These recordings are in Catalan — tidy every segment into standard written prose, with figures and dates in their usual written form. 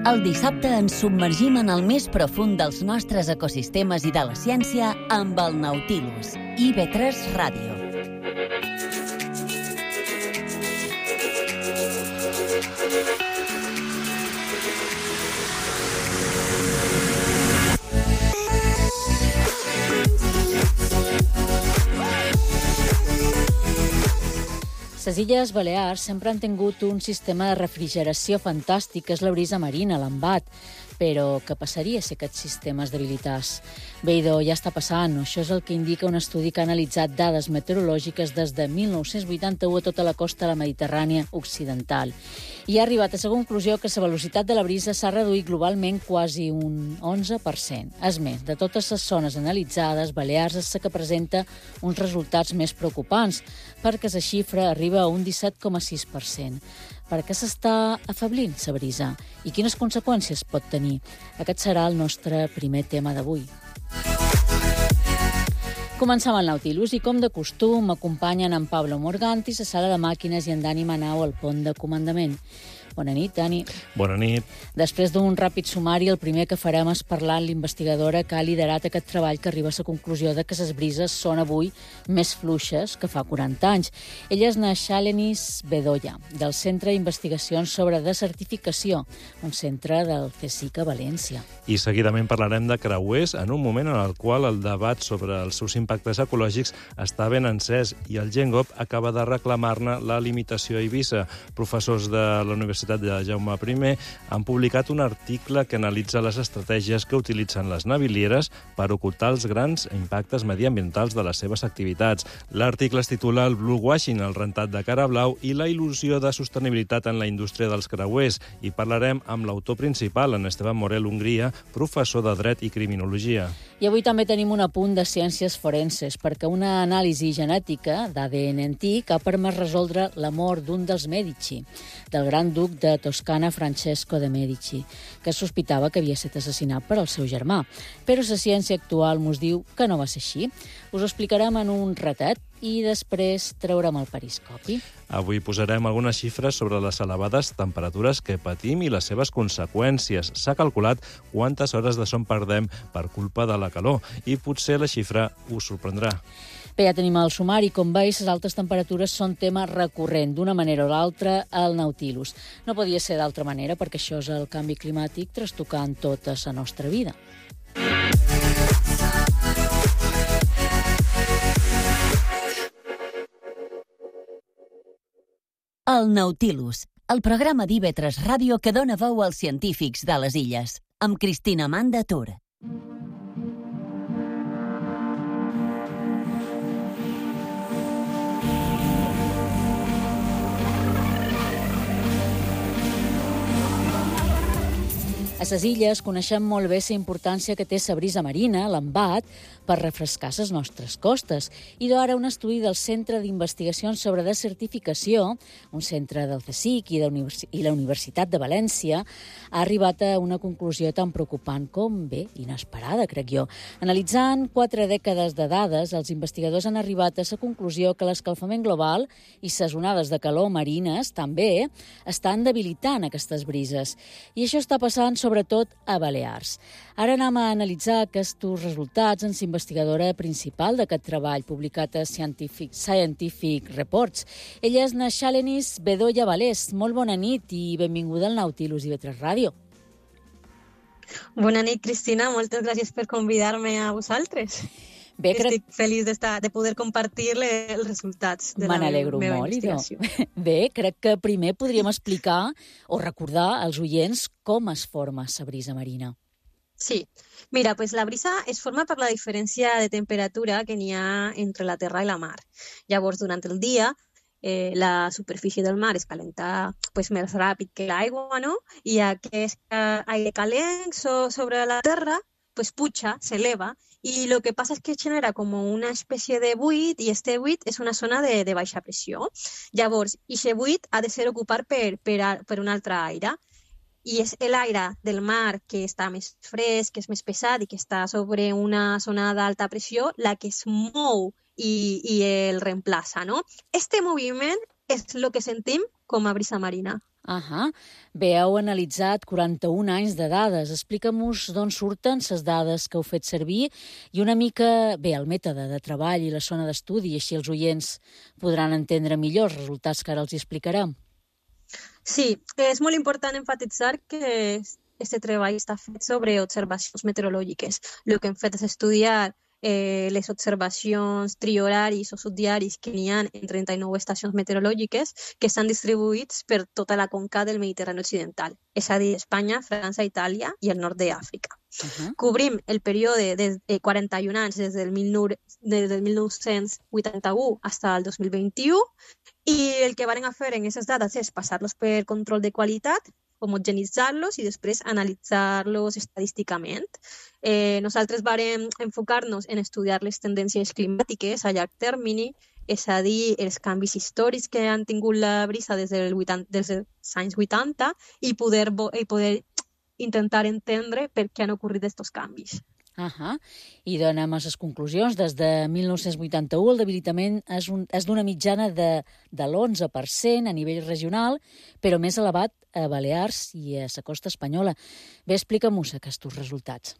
El dissabte ens submergim en el més profund dels nostres ecosistemes i de la ciència amb el Nautilus, IB3 Ràdio. Les Illes Balears sempre han tingut un sistema de refrigeració fantàstic, que és la brisa marina, l'embat. Però què passaria si aquest sistema es debilités? Bé, idò, ja està passant. Això és el que indica un estudi que ha analitzat dades meteorològiques des de 1981 a tota la costa de la Mediterrània occidental. I ha arribat a la conclusió que la velocitat de la brisa s'ha reduït globalment quasi un 11%. És més, de totes les zones analitzades, Balears és la que presenta uns resultats més preocupants, perquè la xifra arriba a un 17,6%. Per què s'està afablint la brisa? I quines conseqüències pot tenir? Aquest serà el nostre primer tema d'avui. Comencem el Nautilus i, com de costum, m'acompanyen en Pablo Morganti, a la sala de màquines, i en Dani Manau al pont de comandament. Bona nit, Dani. Bona nit. Després d'un ràpid sumari, el primer que farem és parlar amb l'investigadora que ha liderat aquest treball, que arriba a la conclusió de que les brises són avui més fluixes que fa 40 anys. Ella és Shalenis Bedoya, del Centre d'Investigacions sobre Desertificació, un centre del CSIC a València. I seguidament parlarem de creuers en un moment en el qual el debat sobre els seus impactes ecològics està ben encès i el GENGOP acaba de reclamar-ne la limitació a Eivissa. Professors de la Universitat de Jaume I han publicat un article que analitza les estratègies que utilitzen les navilieres per ocultar els grans impactes mediambientals de les seves activitats. L'article es titula El bluewashing, el rentat de cara blau i la il·lusió de sostenibilitat en la indústria dels creuers, i parlarem amb l'autor principal, en Esteban Morel Hongria, professor de Dret i Criminologia. I avui també tenim un apunt de ciències forenses, perquè una anàlisi genètica d'ADN antic ha permès resoldre la mort d'un dels Medici, del gran duc de Toscana Francesco de Medici, que es sospitava que havia estat assassinat per el seu germà. Però la ciència actual mos diu que no va ser així. Us ho explicarem en un ratet i després traurem el periscopi. Avui posarem algunes xifres sobre les elevades temperatures que patim i les seves conseqüències. S'ha calculat quantes hores de son perdem per culpa de la calor i potser la xifra us sorprendrà. Bé, ja tenim el sumari. Com veus, les altes temperatures són tema recurrent, d'una manera o l'altra, al Nautilus. No podia ser d'altra manera, perquè això és el canvi climàtic trastocant tota la nostra vida. El Nautilus, el programa d'IB3 Ràdio que dona veu als científics de les illes, amb Cristina Manda Tur. A les illes coneixem molt bé la importància que té la brisa marina, l'embat, per refrescar les nostres costes. I ara un estudi del Centre d'Investigacions sobre Desertificació, un centre del CSIC i la Universitat de València, ha arribat a una conclusió tan preocupant com, bé, inesperada, crec jo. Analitzant 4 dècades de dades, els investigadors han arribat a la conclusió que l'escalfament global i les onades de calor marines també estan debilitant aquestes brises. I això està passant sobretot a Balears. Ara anem a analitzar aquests resultats amb l'investigadora principal d'aquest treball, publicat a Scientific Reports. Ella és Shalenis Bedoya Valés. Molt bona nit i benvinguda al Nautilus IB3 Ràdio. Bona nit, Cristina. Moltes gràcies per convidar-me a vosaltres. Bé, estic feliç de poder compartir els resultats de la meva investigació. Bé, crec que primer podríem explicar o recordar als oients com es forma la brisa marina. Sí. Mira, pues la brisa es forma per la diferència de temperatura que n'hi ha entre la terra i la mar. Llavors, durant el dia, la superfície del mar es calenta més ràpid que l'aigua, no? I aquest aire calent sobre la terra puja, s'eleva, i el que passa és que genera com una espècie de buit, i este buit és una zona de baixa pressió. Llavors, aquest buit ha de ser ocupat per un altre aire, i és l'aire del mar que està més fresc, que és més pesat i que està sobre una zona d'alta pressió la que es mou i el reemplaça, no? Este moviment és el que sentim com a brisa marina. Bé, heu analitzat 41 anys de dades. Explica'm-nos d'on surten les dades que heu fet servir i una mica, bé, el mètode de treball i la zona d'estudi, així els oients podran entendre millor els resultats que ara els explicarem. Sí, és molt important enfatitzar que aquest treball està fet sobre observacions meteorològiques. El que hem fet és estudiar les observacions trioraris o subdiaris que n'hi ha en 39 estacions meteorològiques que estan distribuïts per tota la conca del Mediterrani occidental, és a dir, Espanya, França, Itàlia i el nord d'Àfrica. Cobrim el període de 41 anys des del 1981 fins al 2021 i el que varen fer en aquestes dades és passar-los per control de qualitat, homogenitzar-los i després analitzar-los estadísticament. Nosaltres vàrem enfocar-nos en estudiar les tendències climàtiques a llarg termini, és a dir, els canvis històrics que han tingut la brisa des dels anys 80 i poder intentar entendre per què han ocorrit aquests canvis. I donem a les conclusions. Des de 1981 el debilitament és d'una mitjana de l'11% a nivell regional, però més elevat a Balears i a la costa espanyola. Bé, explica-mos aquests resultats.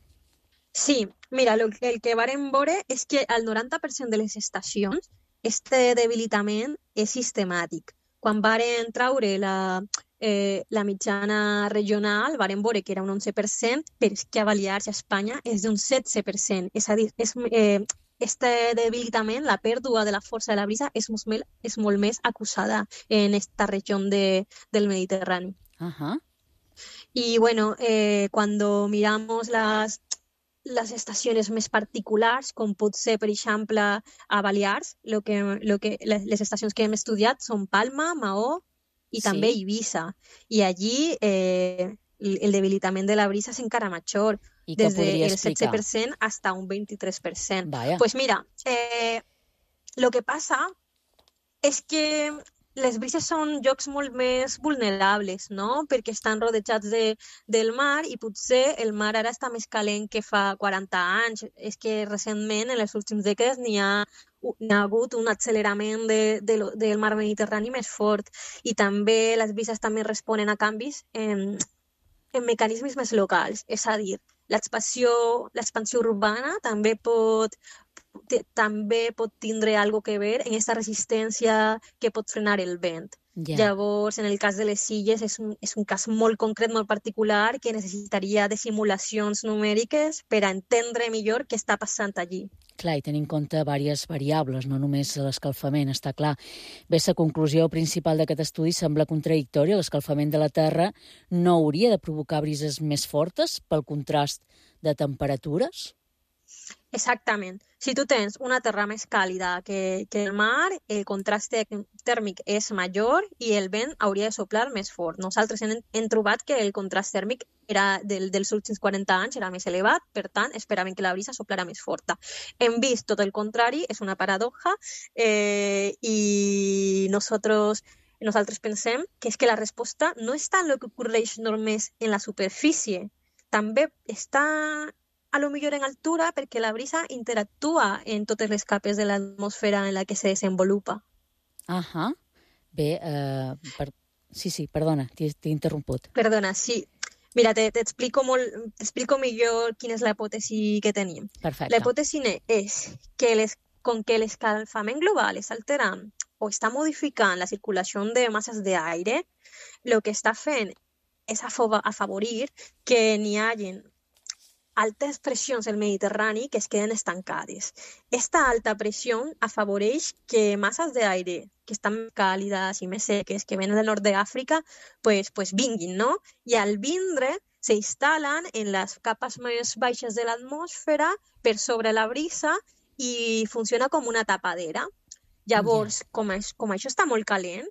Sí, mira, el que vàrem veure és que al 90% de les estacions este debilitament és sistemàtic. Quan varen traure la mitjana regional, varen veure que era un 11%, però és que a Balears i a Espanya és d'un 16%. És a dir, este debilitament, la pèrdua de la força de la brisa, és molt més acusada en esta regió del Mediterrani. Y bueno, cuando miramos las estacions més particulars, com pot ser, per exemple, a Balears, les estacions que hem estudiat són Palma, Maó i també Eivissa. I allí el debilitament de la brisa és encara major, des del 16% fins a un 23%. Pues mira, lo que passa és que les brises són llocs molt més vulnerables, no? Perquè estan rodejats del mar i potser el mar ara està més calent que fa 40 anys. És que recentment, en les últimes dècades, n'hi ha hagut un accelerament del mar Mediterrani més fort i també les brises també responen a canvis en mecanismes més locals. És a dir, l'expansió urbana també pot tindre algo que ver en aquesta resistència que pot frenar el vent. Llavors, en el cas de les illes, és un cas molt concret, molt particular, que necessitaria de simulacions numèriques per a entendre millor què està passant allí. Clar, i tenir en compte diverses variables, no només l'escalfament, està clar. Bé, la conclusió principal d'aquest estudi sembla contradictòria. L'escalfament de la Terra no hauria de provocar brises més fortes pel contrast de temperatures? Exactament. Si tu tens una terra més càlida que el mar, el contrast tèrmic és major i el vent hauria de soplar més fort. Nosaltres hem trobat que el contrast tèrmic dels últims 40 anys era més elevat, per tant, esperàvem que la brisa soplara més forta. Hem vist tot el contrari, és una paradoja, i nosaltres pensem que és que la resposta no està en el que ocorreix només en la superfície, també està a lo millor en altura perquè la brisa interactua en totes les capes de l'atmosfera en la que se desenvolupa. Bé, sí, perdona, t'he interromput. Perdona, sí. Mira, t'explico millor quina és la hipòtesi que tenim. Perfecte. La hipòtesi és que com que l'escalfament global està alterant o està modificant la circulació de masses d'aire, el que està fent és afavorir que n'hi hagi altes pressions al Mediterrani que es queden estancades. Esta alta pressió afavoreix que masses d'aire que estan càlides i més seques, que venen del nord d'Àfrica, pues vinguin, no? I al vindre s'instal·len en les capes més baixes de l'atmosfera per sobre la brisa i funciona com una tapadera. Llavors, com això està molt calent,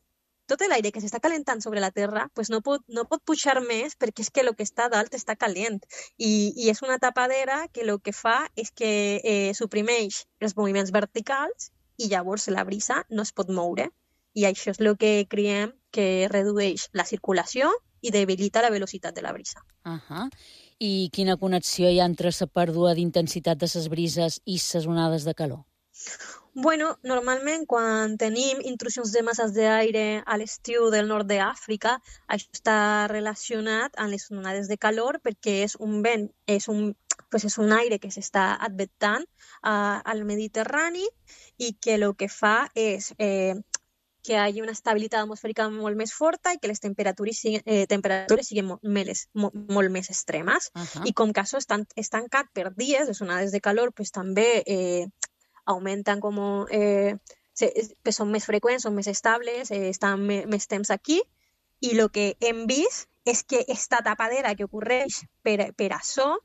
tot l'aire que s'està calentant sobre la Terra pues no pot pujar més perquè és que el que està dalt està calent i és una tapadera que el que fa és que suprimeix els moviments verticals i llavors la brisa no es pot moure i això és el que creiem que redueix la circulació i debilita la velocitat de la brisa. I quina connexió hi ha entre la pèrdua d'intensitat de les brises i les onades de calor? Bueno, normalment quan tenim intrusions de masses d'aire a l'estiu del nord d'Àfrica, això està relacionat amb les onades de calor perquè és un vent, és un aire que s'està adventant al Mediterrani i que el que fa és que hi hagi una estabilitat atmosfèrica molt més forta i que les temperatures siguin molt més extremes. I com que això està estancat per dies, les onades de calor pues, també augmenten pues són més freqüents, són més estables, estan més temps aquí, i el que hem vist és que esta tapadera que ocorreix per això,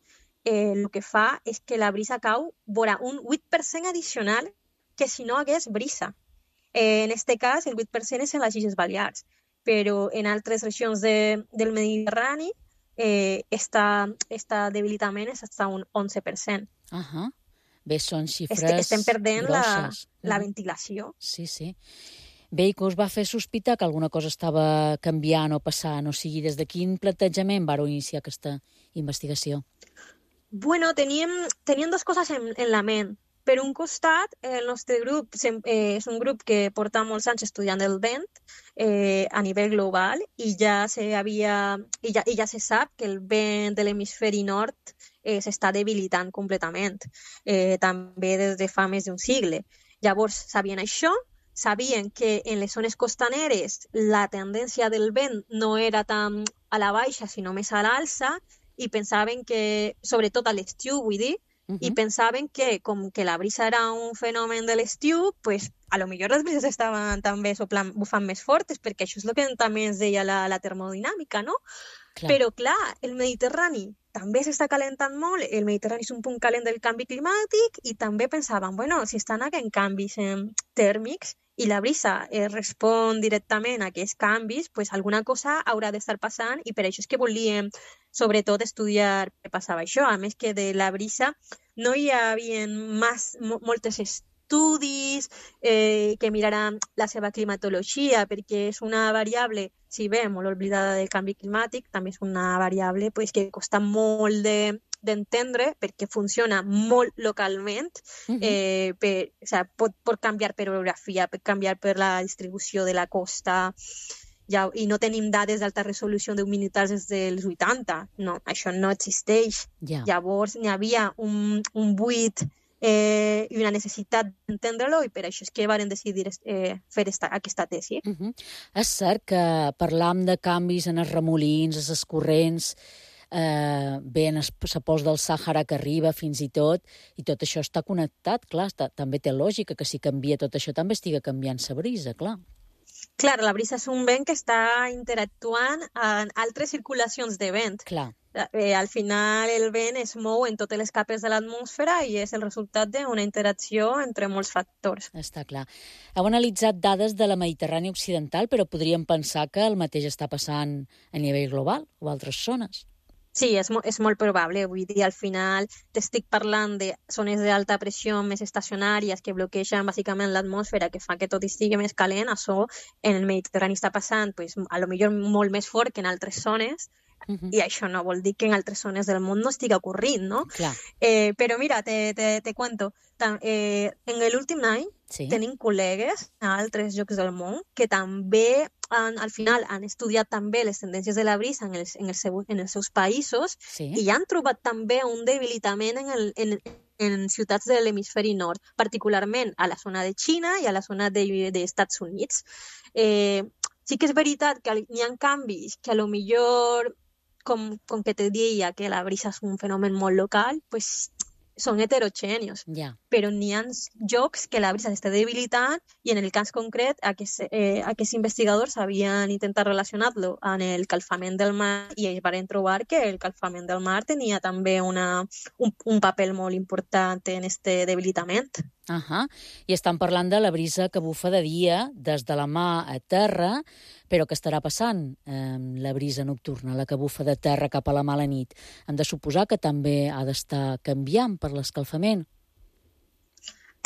el que fa és que la brisa cau vora un 8% addicional que si no hagués brisa. En este cas, el 8% és en les Illes Balears, però en altres regions del Mediterrani este debilitament és fins a un 11%. Bé, són xifres Estem perdent grosses. la ventilació. Sí, sí. Bé, i que us va fer sospitar que alguna cosa estava canviant o passant? O sigui, des de quin plantejament vareu iniciar aquesta investigació? Bueno, teníem dues coses en la ment. Per un costat, el nostre grup és un grup que porta molts anys estudiant el vent a nivell global i ja se sap que el vent de l'hemisferi nord s'està debilitant completament, també des de fa més d'un segle. Llavors, sabien això, sabien que en les zones costaneres la tendència del vent no era tan a la baixa, sinó més a l'alça, i pensaven que, sobretot a l'estiu, vull dir, i pensaven que com que la brisa era un fenomen de l'estiu, pues, a lo millor les brises estaven també bufant més fortes, perquè això és el que també ens deia la termodinàmica, no? Clar. Però clar, el Mediterrani també s'està calentant molt, el Mediterrani és un punt calent del canvi climàtic i també pensaven, bueno, si estan havent canvis tèrmics i la brisa respon directament a aquests canvis, pues alguna cosa haurà d'estar passant i per això és que volíem sobretot estudiar què passava això. A més que de la brisa no hi havia moltes estudis que miraran la seva climatologia, perquè és una variable, si bé molt oblidada del canvi climàtic, també és una variable pues, que costa molt d'entendre perquè funciona molt localment, pot canviar per orografia, pot canviar per la distribució de la costa, i no tenim dades d'alta resolució d'huminitats des dels 80. No, això no existeix. Llavors n'hi havia un buit i una necessitat d'entendre-lo i per això és que varen decidir fer aquesta tesi. És cert que parlam de canvis en els remolins, en els corrents, bé, en els pols del Sàhara que arriba fins i tot això està connectat, clar, també té lògica que si canvia tot això també estiga canviant la brisa, clar. Clar, la brisa és un vent que està interactuant amb altres circulacions de vent. Clar. Al final el vent es mou en totes les capes de l'atmosfera i és el resultat d'una interacció entre molts factors. Està clar. Heu analitzat dades de la Mediterrània occidental, però podríem pensar que el mateix està passant a nivell global o a altres zones. Sí, és molt probable. Vull dir, al final t'estic parlant de zones d'alta pressió més estacionàries que bloquegen bàsicament l'atmosfera, que fa que tot estigui més calent. Això en el Mediterrani està passant, pues, a lo millor molt més fort que en altres zones, i això no vol dir que en altres zones del món no estigui ocorrint, no? Clar. Però mira, te cuento, en l'últim any tenim col·legues a altres llocs del món que també al final han estudiat també les tendències de la brisa en els seus països i han trobat també un debilitament en ciutats de l'hemisferi nord, particularment a la zona de Xina i a la zona dels Estats Units. Sí que és veritat que hi ha canvis que a lo millor, com que te deia que la brisa és un fenomen molt local, pues són heterogènios, però n'hi ha llocs que la brisa s'està debilitant i en el cas concret aquests investigadors havien intentat relacionar-lo amb el calfament del mar i ells van trobar que el calfament del mar tenia també un paper molt important en aquest debilitament. I estan parlant de la brisa que bufa de dia des de la mà a terra, però què estarà passant la brisa nocturna, la que bufa de terra cap a la mà a la nit? Hem de suposar que també ha d'estar canviant per l'escalfament.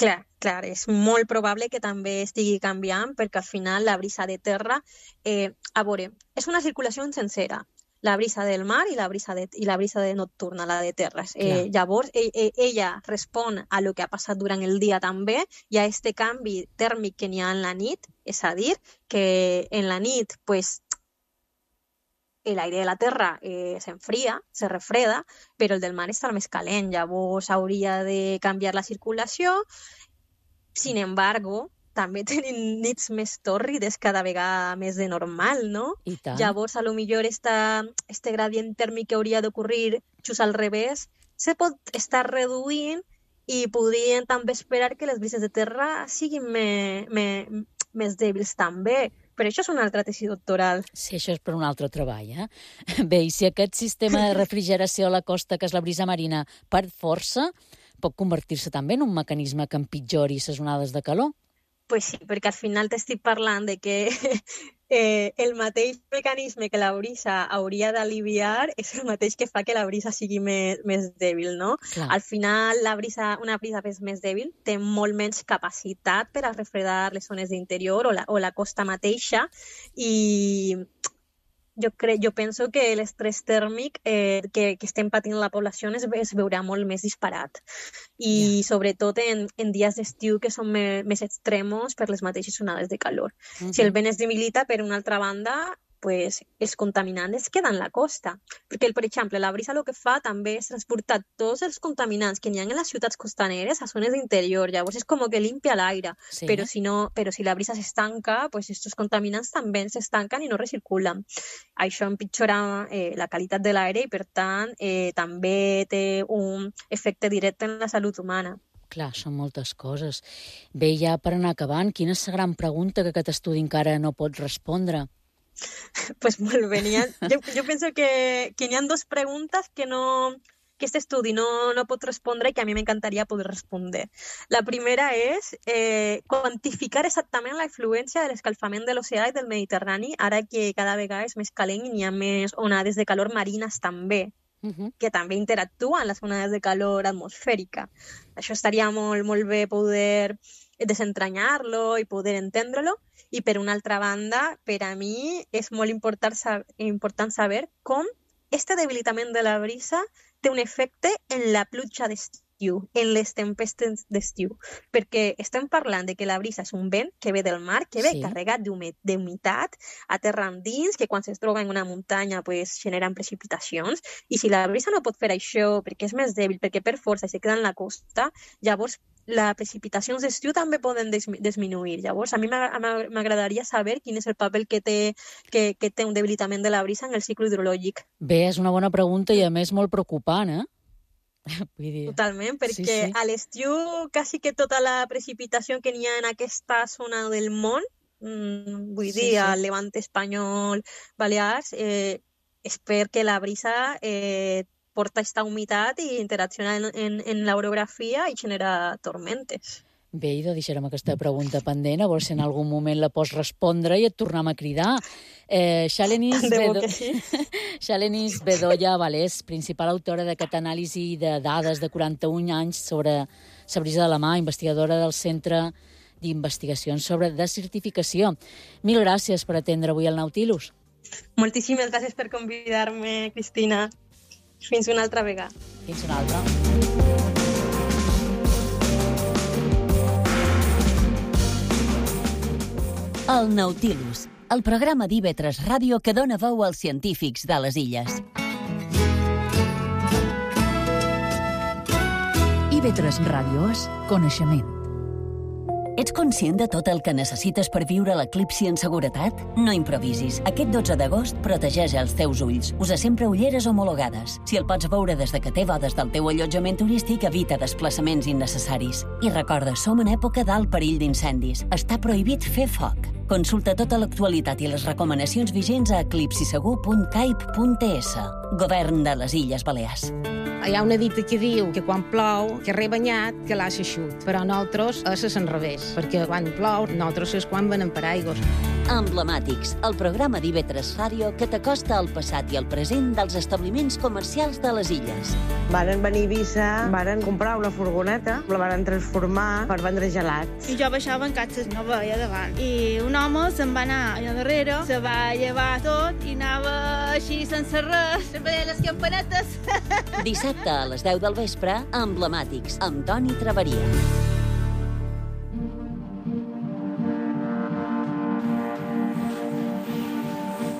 Clar, és molt probable que també estigui canviant perquè al final la brisa de terra, a veure, és una circulació sencera. la brisa del mar i la brisa de nocturna, la de terres. Llavors, ella respon a lo que ha passat durant el dia també i a este canvi tèrmic que n'hi ha en la nit, és a dir, que en la nit, pues, el aire de la terra s'enfria, se refreda, però el del mar està més calent, llavors hauria de canviar la circulació. Sin embargo, també tenim nits més tòrrides cada vegada més de normal, no? I tant. Llavors, a lo millor este gradient tèrmic que hauria d'ocorrir just al revés se pot estar reduint i podrien també esperar que les brises de terra siguin més dèbils també. Però això és una altra tesi doctoral. Sí, això és per un altre treball, eh? Bé, i si aquest sistema de refrigeració a la costa, que és la brisa marina, perd força, pot convertir-se també en un mecanisme que empitjori les onades de calor? Pues sí, perquè al final t'estic parlant de que el mateix mecanisme que la brisa hauria d'aliviar és el mateix que fa que la brisa sigui més dèbil, no? Clar. Al final, una brisa més dèbil té molt menys capacitat per a refredar les zones d'interior o la costa mateixa i jo penso que l'estrès tèrmic que estem patint la població es veurà molt més disparat. I sobretot en dies d'estiu que són més extremos per les mateixes onades de calor. Si el vent es debilita, per una altra banda, pues, els contaminants es queden a la costa. Perquè, per exemple, la brisa el que fa també és transportar tots els contaminants que n'hi ha en les ciutats costaneres a zones d'interior. Llavors és com que limpia l'aire. Sí. Però si la brisa s'estanca, pues estos contaminants també s'estanquen i no recirculen. Això empitjora la qualitat de l'aire i, per tant, també té un efecte directe en la salut humana. Clar, són moltes coses. Bé, ja per anar acabant, quina és la gran pregunta que aquest estudi encara no pot respondre? Pues molt bé, jo penso que n'hi ha dues preguntes que aquest estudi no pot respondre i que a mi m'encantaria poder respondre. La primera és quantificar exactament la influència de l'escalfament de l'oceà i del Mediterrani, ara que cada vegada és més calent i n'hi ha més onades de calor marines també, que també interactuen amb les onades de calor atmosfèrica. Això estaria molt bé poder desentranyar-lo i poder entendre-lo. I per una altra banda, per a mi és molt important saber com este debilitament de la brisa té un efecte en la pluja d'estiu, en les tempestes d'estiu. Perquè estem parlant de que la brisa és un vent que ve del mar, que ve carregat d'humitat a terra endins, que quan es troba en una muntanya pues, generen precipitacions. I si la brisa no pot fer això perquè és més dèbil, perquè per força se queda en la costa, llavors les precipitacions d'estiu també poden disminuir. Llavors, a mi m'agradaria saber quin és el paper que té un debilitament de la brisa en el cicle hidrològic. Bé, és una bona pregunta i a més molt preocupant, eh? Vull dir... Totalment, perquè a l'estiu quasi que tota la precipitació que n'hi ha en aquesta zona del món, vull dir, al Levant espanyol, Balears, és perquè la brisa porta aquesta humitat i interacciona en l'orografia i genera tormentes. Bé, idò, deixarem aquesta pregunta pendent, a veure si en algun moment la pots respondre i et tornem a cridar. Xalenis Bedoya Valés, principal autora d'aquest anàlisi de dades de 41 anys sobre la brisa de la mar, investigadora del Centre d'Investigacions sobre Desertificació. Mil gràcies per atendre avui el Nautilus. Moltíssimes gràcies per convidar-me, Cristina. Fins una altra vegada. Fins una altra. El Nautilus, el programa d'IV3 Ràdio que dona veu als científics de les illes. IV3 Ràdio és coneixement. Ets conscient de tot el que necessites per viure l'eclipsi en seguretat? No improvisis. Aquest 12 d'agost protegeix els teus ulls. Usa sempre ulleres homologades. Si el pots veure des de que té bodes del teu allotjament turístic, evita desplaçaments innecessaris. I recorda, som en època d'alt perill d'incendis. Està prohibit fer foc. Consulta tota l'actualitat i les recomanacions vigents a eclipsisegur.caip.es. Govern de les Illes Balears. Hi ha una dita que diu que quan plou, que rebanyat, que l'ha s'eixut. Però nosaltres és al revés, perquè quan plou, nosaltres és quan venem paraigües. Emblemàtics, el programa d'IV3 Ràdio que t'acosta al passat i al present dels establiments comercials de les illes. Varen venir a Eivissa, varen comprar una furgoneta, la varen transformar per vendre gelats. I jo baixava en caixes, no veia davant. I un home se'n va anar allà darrere, se va llevar tot i anava així sense res, veia les campanetes. Dissabte a les 10 del vespre, Emblemàtics, amb Toni Traveria.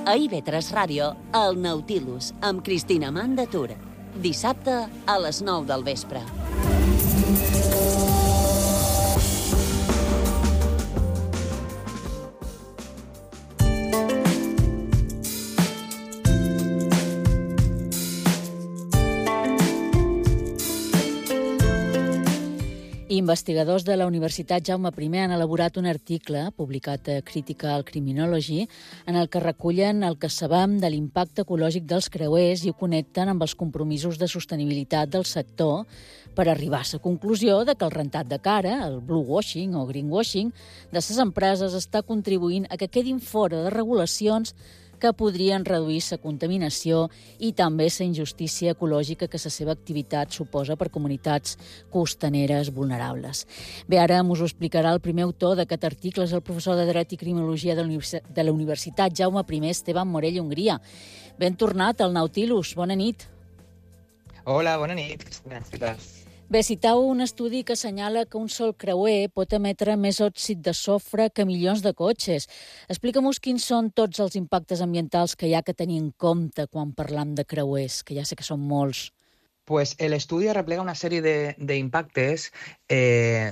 A IV3 Ràdio, el Nautilus, amb Cristina Mandatura. Dissabte a les 9 del vespre. Investigadors de la Universitat Jaume I han elaborat un article, publicat a Critical Criminology, en el que recullen el que sabem de l'impacte ecològic dels creuers i ho connecten amb els compromisos de sostenibilitat del sector per arribar a la conclusió de que el rentat de cara, el bluewashing o greenwashing, de les empreses està contribuint a que quedin fora de regulacions que podrien reduir la contaminació i també la injustícia ecològica que la seva activitat suposa per comunitats costaneres vulnerables. Bé, ara us ho explicarà el primer autor d'aquest article, és el professor de Dret i Criminologia de la Universitat Jaume I, Esteban Morell Hongria. Ben tornat al Nautilus, bona nit. Hola, bona nit. Gràcies. Bé, citau un estudi que assenyala que un sol creuer pot emetre més òxid de sofre que milions de cotxes. Explica'm-nos quins són tots els impactes ambientals que hi ha que tenir en compte quan parlam de creuers, que ja sé que són molts. Pues el estudio replega una serie de impactes,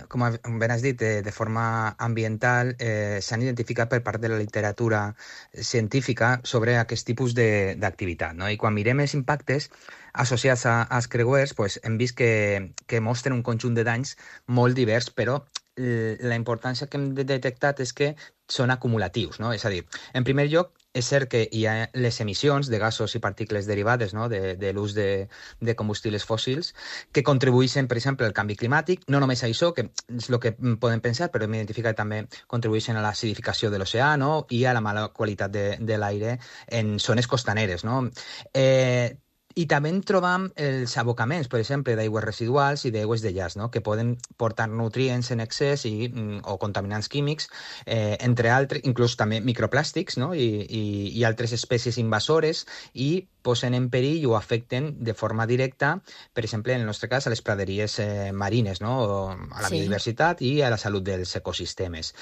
como ben has dit, de forma ambiental, s'han identificat per part de la literatura científica sobre aquest tipus d'activitat, no? I quan mirem els impactes associats als creuers, pues, hem vist que mostren un conjunt de danys molt divers, però la importància que hem detectat és que són acumulatius, no? És a dir, en primer lloc, és cert que hi ha les emissions de gasos i partícules derivades, no? de l'ús de combustibles fòssils que contribueixen, per exemple, al canvi climàtic. No només a això, que és el que podem pensar, però hem identificat que també contribueixen a l'acidificació de l'oceà, no? I a la mala qualitat de l'aire en zones costaneres, no? I també trobam els abocaments, per exemple, d'aigües residuals i d'aigües de llaç, no? Que poden portar nutrients en excés o contaminants químics, entre altres, inclús també microplàstics, no? I altres espècies invasores, i posen en perill o afecten de forma directa, per exemple, en el nostre cas, a les praderies marines, no? A la biodiversitat i a la salut dels ecosistemes.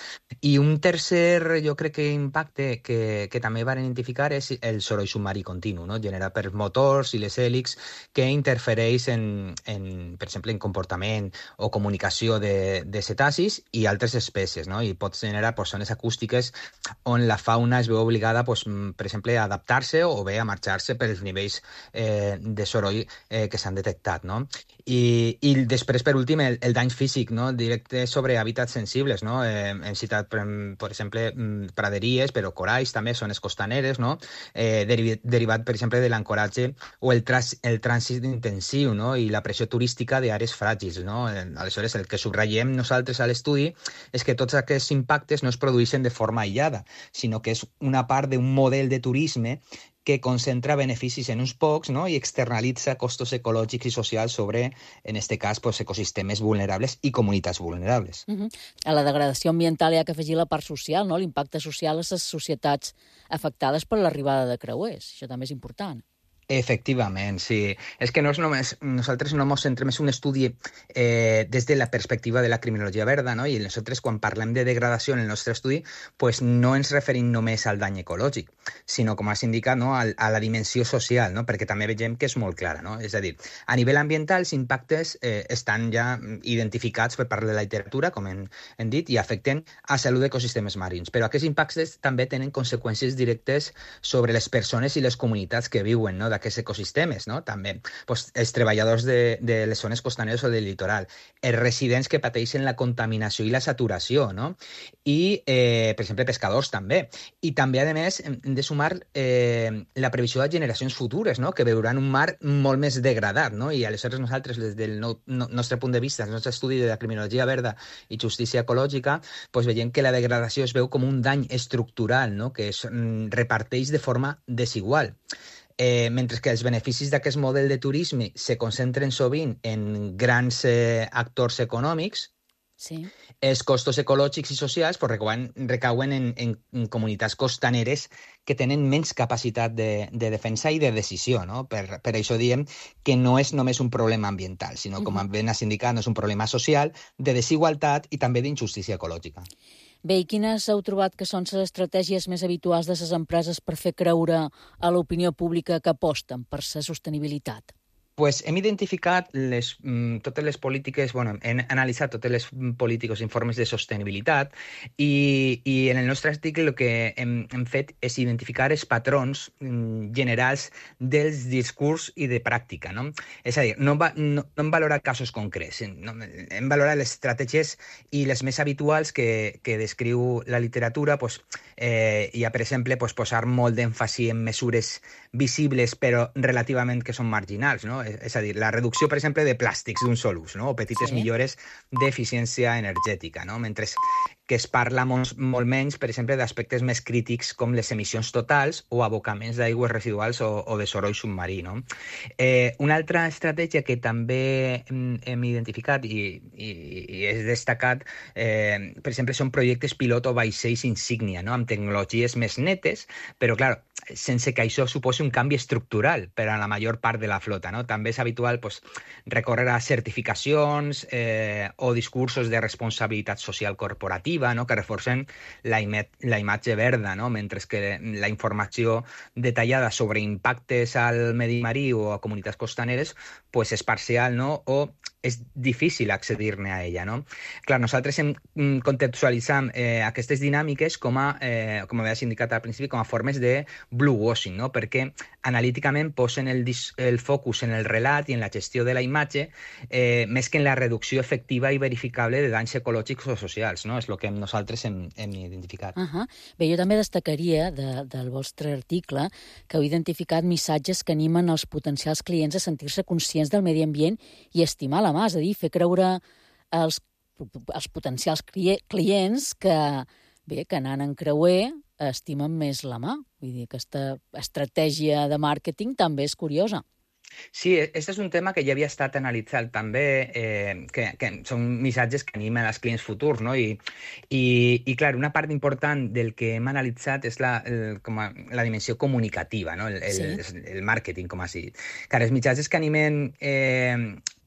I un tercer, jo crec que impacte que també van identificar és el soroll submarí continu, no? Generat per motors i les hèlix que interfereix per exemple, en comportament o comunicació de cetacis i altres espècies, no? I pot generar zones acústiques on la fauna es veu obligada, per exemple, a adaptar-se o bé a marxar-se pels nivells de soroll que s'han detectat, no? I després, per últim, el dany físic, no? Directe sobre hàbitats sensibles, no? Hem citat, per exemple, praderies, però coralls també, zones costaneres, no? Derivat, per exemple, de l'ancoratge o el trànsit intensiu, no? I la pressió turística d'àrees fràgils, no? Aleshores, el que subratllem nosaltres a l'estudi és que tots aquests impactes no es produeixen de forma aïllada, sinó que és una part d'un model de turisme que concentra beneficis en uns pocs, no? I externalitza costos ecològics i socials sobre, en aquest cas, ecosistemes vulnerables i comunitats vulnerables. A la degradació ambiental hi ha que afegir la part social, no? L'impacte social a les societats afectades per l'arribada de creuers. Això també és important. Efectivament, sí. És que no és només, nosaltres no ens centrem en un estudi des de la perspectiva de la criminologia verda, no? I nosaltres quan parlem de degradació en el nostre estudi pues no ens referim només al dany ecològic, sinó, com has indicat, no? a la dimensió social, no? Perquè també veiem que és molt clara, no? És a dir, a nivell ambiental els impactes estan ja identificats per part de la literatura, com hem dit, i afecten a salut d'ecosistemes marins. Però aquests impactes també tenen conseqüències directes sobre les persones i les comunitats que viuen, no? D'aquests ecosistemes, no? També els treballadors de les zones costaneres o del litoral, els residents que pateixen la contaminació i la saturació, no? I, per exemple, pescadors també. I també, a més, hem de sumar la previsió de generacions futures, no? Que veuran un mar molt més degradat, no? I aleshores nosaltres, des del nostre punt de vista, el nostre estudi de la criminologia verda i justícia ecològica, doncs veiem que la degradació es veu com un dany estructural, no? Que es reparteix de forma desigual. Mentre que els beneficis d'aquest model de turisme se concentren sovint en grans actors econòmics, sí. Els costos ecològics i socials recauen en comunitats costaneres que tenen menys capacitat de defensa i de decisió, no? Per això diem que no és només un problema ambiental, sinó, com ben has indicat, no és un problema social, de desigualtat i també d'injustícia ecològica. Bé, i quines heu trobat que són les estratègies més habituals de les empreses per fer creure a l'opinió pública que aposten per la sostenibilitat? Pues hem identificat totes les polítiques, hem analitzat totes les polítiques i informes de sostenibilitat i en el nostre article el que hem fet és identificar els patrons generals dels discurs i de pràctica, no? És a dir, no hem valorat casos concrets, hem valorat les estratègies i les més habituals que descriu la literatura. Hi ha, per exemple, posar molt d'èmfasi en mesures visibles però relativament que són marginals, no? És a dir, la reducció, per exemple, de plàstics d'un sol ús, no? O petites millores d'eficiència energètica, no? Mentre que es parla molt menys, per exemple, d'aspectes més crítics com les emissions totals o abocaments d'aigües residuals o de soroll submarí, no? Una altra estratègia que també hem identificat i és destacat, per exemple, són projectes pilot o vaixells insígnia, no? Amb tecnologies més netes, però, clar, sense que això suposi un canvi estructural per a la major part de la flota, no? També és habitual recórrer a certificacions o discursos de responsabilitat social corporativa, no? Que reforcen la imatge verda, no? Mentre que la informació detallada sobre impactes al medi marí o a comunitats costaneres és parcial, no? O és difícil accedir-ne a ella, no? Clar, nosaltres contextualitzam aquestes dinàmiques com havies indicat al principi, com a formes de bluewashing, no? Perquè analíticament posen el focus en el relat i en la gestió de la imatge més que en la reducció efectiva i verificable de danys ecològics o socials, no? És el que nosaltres hem identificat. Bé, jo també destacaria del vostre article que heu identificat missatges que animen els potencials clients a sentir-se conscients del medi ambient i estimar la mà, és a dir, fer creure als potencials clients que anant en creuer estimen més la mà. Vull dir, aquesta estratègia de màrqueting també és curiosa. Sí, aquest és un tema que ja havia estat analitzat també, que són missatges que animen els clients futurs, no? I clar, una part important del que hem analitzat és la dimensió comunicativa, no? El màrqueting, com has dit. Clar, els missatges que animen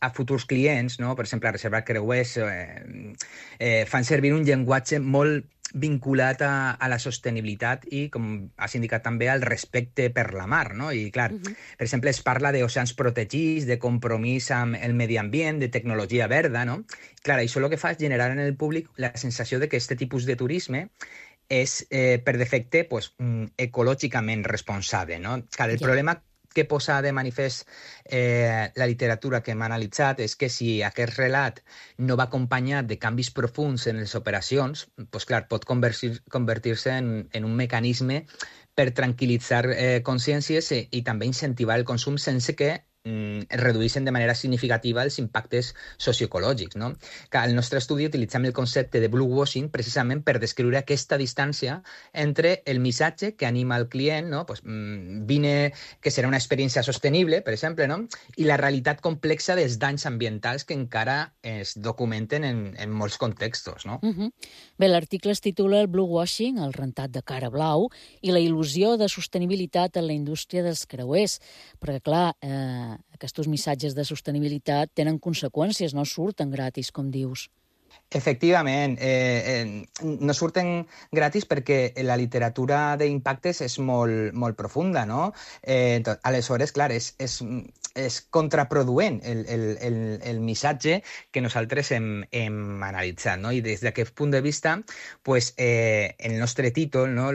a futurs clients, no? Per exemple, a reservar creuers, fan servir un llenguatge molt vinculat a la sostenibilitat i, com has indicat també, al respecte per la mar, no? I, clar, per exemple, es parla d'oceans protegits, de compromís amb el medi ambient, de tecnologia verda, no? Clar, això el que fa és generar en el públic la sensació de que aquest tipus de turisme és, per defecte, ecològicament responsable, no? Clar, el problema que posa de manifest la literatura que hem analitzat és que si aquest relat no va acompanyat de canvis profunds en les operacions, clar, pot convertir-se en un mecanisme per tranquil·litzar consciències i també incentivar el consum sense que es redueixen de manera significativa els impactes socioecològics, no? Al nostre estudi utilitzem el concepte de bluewashing precisament per descriure aquesta distància entre el missatge que anima el client, no? Vine, que serà una experiència sostenible, per exemple, no? I la realitat complexa dels danys ambientals que encara es documenten en molts contextos, no? Bé, l'article es titula El bluewashing, el rentat de cara blau, i la il·lusió de sostenibilitat en la indústria dels creuers. Perquè, clar, aquests missatges de sostenibilitat tenen conseqüències, no surten gratis, com dius. Efectivament, no surten gratis perquè la literatura d'impactes és molt profunda, no? Aleshores, clar, és contraproduent el missatge que nosaltres hem analitzat, no? I des d'aquest punt de vista, el nostre títol, no?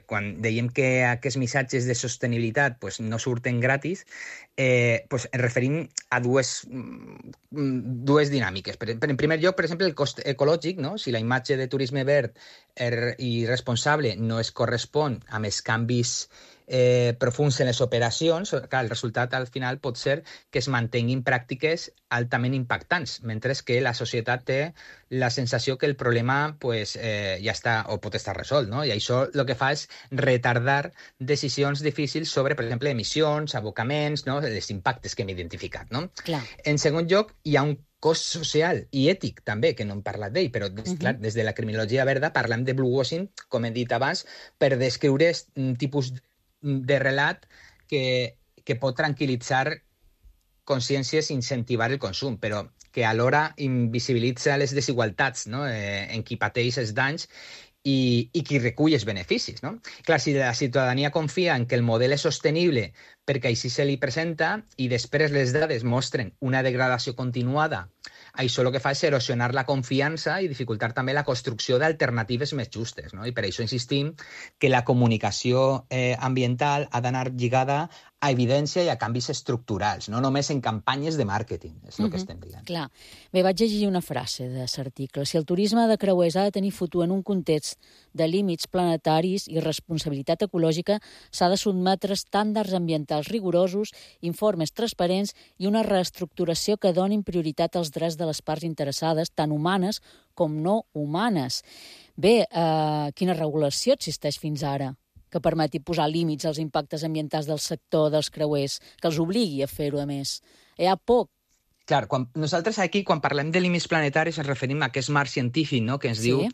Quan dèiem que aquests missatges de sostenibilitat no surten gratis, ens referim a dues dinàmiques. En primer lloc, per exemple, el cost ecològic, no? Si la imatge de turisme verd i responsable no es correspon amb els canvis profunds en les operacions, clar, el resultat al final pot ser que es mantinguin pràctiques altament impactants, mentre que la societat té la sensació que el problema pues, ja està o pot estar resolt, no? I això el que fa és retardar decisions difícils sobre, per exemple, emissions, abocaments, no? Els impactes que hem identificat, no? Clar. En segon lloc, hi ha un cost social i ètic també, que no hem parlat d'ell, però clar, des de la criminologia verda parlem de bluewashing, com he dit abans, per descriure un tipus de relat que pot tranquil·litzar consciències i incentivar el consum, però que alhora invisibilitza les desigualtats, no? En qui pateix els danys i qui recull els beneficis, no? Clar, si la ciutadania confia en que el model és sostenible perquè així se li presenta i després les dades mostren una degradació continuada, això el que fa és erosionar la confiança i dificultar també la construcció d'alternatives més justes, no? I per això insistim que la comunicació ambiental ha d'anar lligada a evidència i a canvis estructurals, no només en campanyes de màrqueting, és el que estem dient. Clar. Bé, vaig llegir una frase de l'article. Si el turisme de creuers ha de tenir futur en un context de límits planetaris i responsabilitat ecològica, s'ha de sotmetre estàndards ambientals rigorosos, informes transparents i una reestructuració que donin prioritat als drets de les parts interessades, tant humanes com no humanes. Bé, quina regulació existeix fins ara que permeti posar límits als impactes ambientals del sector dels creuers, que els obligui a fer-ho, a més? Hi ha poc. Clar, nosaltres aquí, quan parlem de límits planetaris, ens referim a aquest marc científic, no?, que ens diu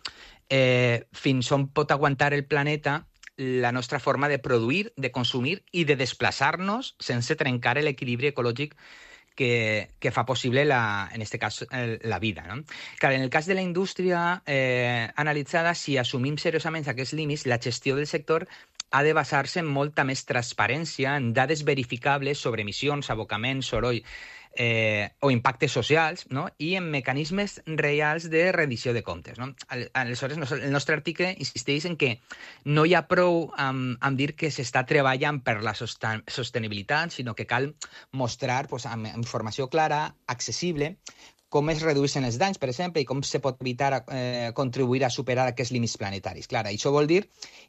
fins on pot aguantar el planeta la nostra forma de produir, de consumir i de desplaçar-nos sense trencar l'equilibri ecològic que fa possible, en aquest cas, la vida, no? Clar, en el cas de la indústria analitzada, si assumim seriosament aquests límits, la gestió del sector ha de basar-se en molta més transparència, en dades verificables sobre emissions, abocaments, soroll o impactes socials, no? I en mecanismes reals de rendició de comptes, no? Aleshores, el nostre article insisteix en que no hi ha prou amb dir que s'està treballant per la sostenibilitat, sinó que cal mostrar amb informació clara, accessible, com es redueixen els danys, per exemple, i com se pot evitar contribuir a superar aquests límits planetaris. Clar, això vol dir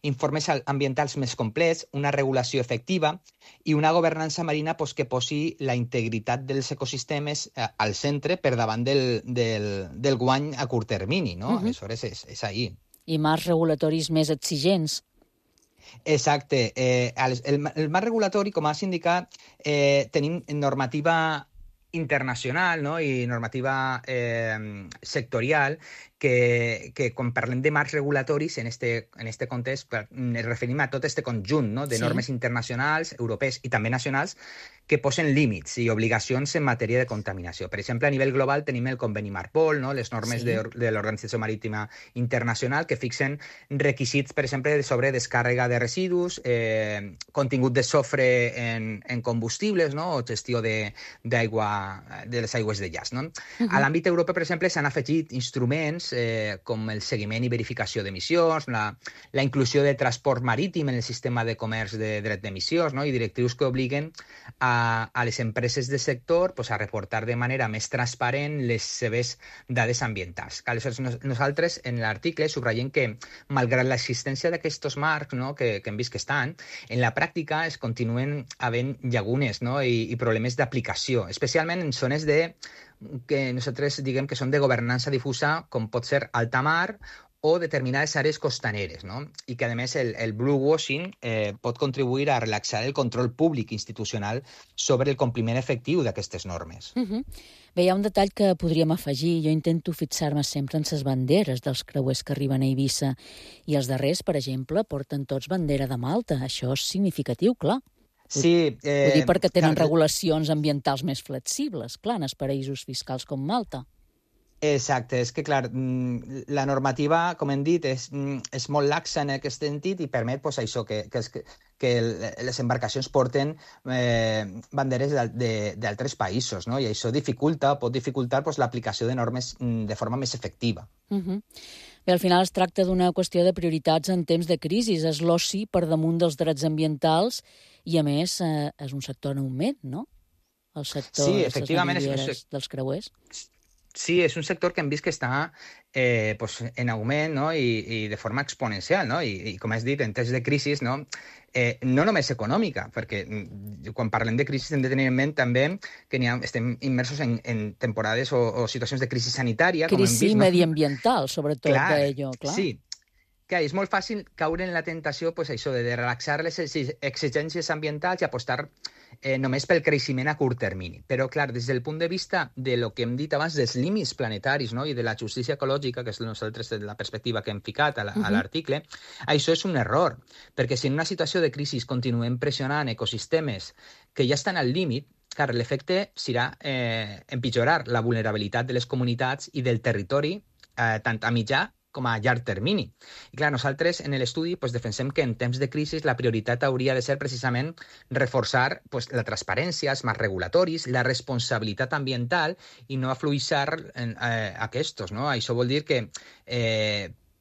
informes ambientals més complets, una regulació efectiva i una governança marina que posi la integritat dels ecosistemes al centre per davant del guany a curt termini, no? Aleshores, és ahí. I marcs regulatoris més exigents. Exacte. El marc regulatori, com has indicat, tenim normativa internacional, no? I normativa sectorial que quan parlem de marcs regulatoris en este context ens referim a tot este conjunt, no? De normes internacionals, europees i també nacionals que posen límits i obligacions en matèria de contaminació. Per exemple, a nivell global tenim el conveni Marpol, no? Les normes de l'Organització Marítima Internacional que fixen requisits, per exemple, sobre descàrrega de residus, contingut de sofre en combustibles, no? O gestió de les aigües de llaç, no? A l'àmbit europeu, per exemple, s'han afegit instruments com el seguiment i verificació d'emissions, la inclusió de transport marítim en el sistema de comerç de dret d'emissions, no? I directrius que obliguen a les empreses del sector a reportar de manera més transparent les seves dades ambientals. Aleshores, nosaltres en l'article subratllem que, malgrat l'existència d'aquests marcs, no? que hem vist que estan, en la pràctica es continuen havent llagunes, no? I problemes d'aplicació, especialment en zones que nosaltres diguem que són de governança difusa, com pot ser alta mar o determinades àrees costaneres, no? I que, a més, el bluewashing pot contribuir a relaxar el control públic institucional sobre el compliment efectiu d'aquestes normes. Bé, hi ha un detall que podríem afegir. Jo intento fixar-me sempre en les banderes dels creuers que arriben a Eivissa. I els darrers, per exemple, porten tots bandera de Malta. Això és significatiu, clar. Sí. Ho dic perquè tenen regulacions ambientals més flexibles, clar, en els paraïsos fiscals com Malta. Exacte, és que, clar, la normativa, com hem dit, és molt laxa en aquest sentit i permet això, que les embarcacions porten banderes d'altres països, no? I això pot dificultar l'aplicació de normes de forma més efectiva. Bé, al final es tracta d'una qüestió de prioritats en temps de crisi. És l'oci per damunt dels drets ambientals i, a més, és un sector en augment, no? El sector dels creuers. Sí, és un sector que hem vist que està pues, en augment, no? I de forma exponencial, no? I com has dit, en temps de crisi, no? No només econòmica, perquè quan parlem de crisi hem de tenir en ment també que estem immersos en temporades o situacions de crisi sanitària, com hem vist. Crisi mediambiental, sobretot, d'ello, clar. Sí, clar, és molt fàcil caure en la tentació pues, això de relaxar les exigències ambientals i apostar només pel creixement a curt termini. Però, clar, des del punt de vista de lo que hem dit abans, dels límits planetaris, no? I de la justícia ecològica, que és nosaltres la perspectiva que hem ficat a l'article, això és un error, perquè si en una situació de crisi continuem pressionant ecosistemes que ja estan al límit, clar, l'efecte serà empitjorar la vulnerabilitat de les comunitats i del territori, tant a mitjà com a llarg termini. I clar, nosaltres en l'estudi pues, defensem que en temps de crisi la prioritat hauria de ser precisament reforçar pues, la transparència, els marcs regulatoris, la responsabilitat ambiental i no afluixar aquests. No? Això vol dir que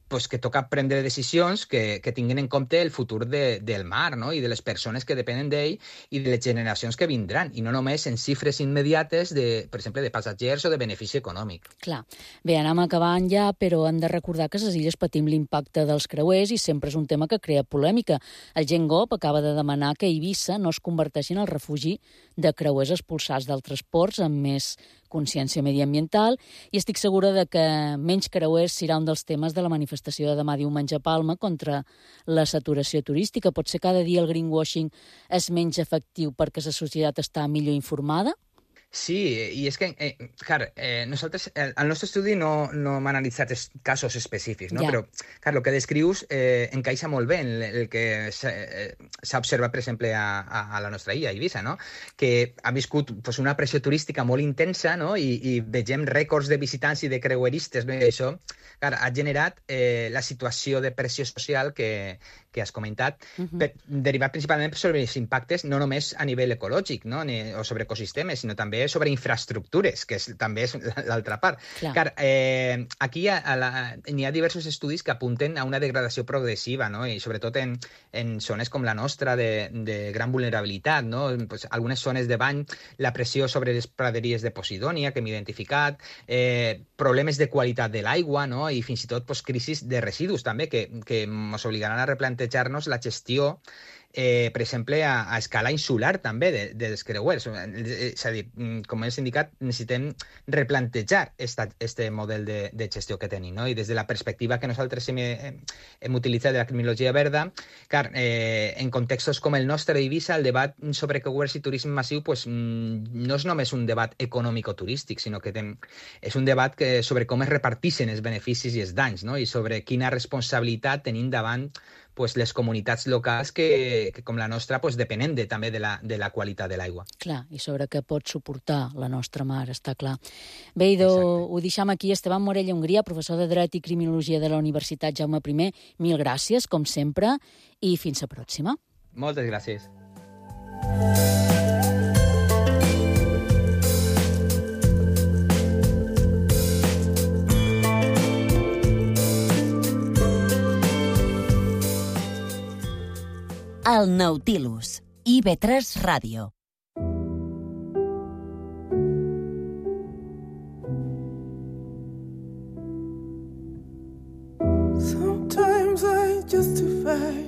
pues que toca prendre decisions que tinguin en compte el futur del mar, no? I de les persones que depenen d'ell i de les generacions que vindran, i no només en xifres immediates, per exemple, de passatgers o de benefici econòmic. Clar. Bé, anem acabant ja, però hem de recordar que a les illes patim l'impacte dels creuers i sempre és un tema que crea polèmica. El GenGop acaba de demanar que Eivissa no es converteixi en el refugi de creuers expulsats d'altres ports amb més consciència mediambiental, i estic segura de que menys creuers serà un dels temes de la manifestació de demà diumenge a Palma contra la saturació turística. Potser cada dia el greenwashing és menys efectiu perquè la societat està millor informada? Sí, i és que, clar, nosaltres, el nostre estudi no hem analitzat casos específics, no? Però, clar, el que descrius encaixa molt bé en el que s'ha observat, per exemple, a la nostra illa, a Eivissa, no? Que ha viscut pues, una pressió turística molt intensa, no? I vegem rècords de visitants i de creueristes, no? I això, clar, ha generat la situació de pressió social que has comentat, derivat principalment sobre els impactes no només a nivell ecològic, no? O sobre ecosistemes, sinó també sobre infraestructures, que també és l'altra part. Clar, aquí n'hi ha diversos estudis que apunten a una degradació progressiva, no? I sobretot en zones com la nostra de gran vulnerabilitat, no? Pues, algunes zones de bany, la pressió sobre les praderies de Posidònia, que hem identificat, problemes de qualitat de l'aigua, no? I fins i tot pues, crisis de residus també, que ens obligaran a replantejar-nos la gestió per exemple, a escala insular també dels creuers. És a dir, com he indicat, necessitem replantejar este model de gestió que tenim, no? I des de la perspectiva que nosaltres hem utilitzat de la criminologia verda, clar, en contextos com el nostre d'Eivissa, el debat sobre creuers i turisme massiu pues, no és només un debat econòmic-turístic, sinó que és un debat sobre com es reparteixen els beneficis i els danys, no? I sobre quina responsabilitat tenim davant pues, les comunitats locals que com la nostra, pues, depenen també de la qualitat de l'aigua. Clar, i sobre què pot suportar la nostra mar, està clar. Bé, idò, ho deixam aquí. Esteban Morella Hongria, professor de Dret i Criminologia de la Universitat Jaume I. Mil gràcies, com sempre, i fins la pròxima. Moltes gràcies. El Nautilus, IB3 Ràdio. Sometimes I justify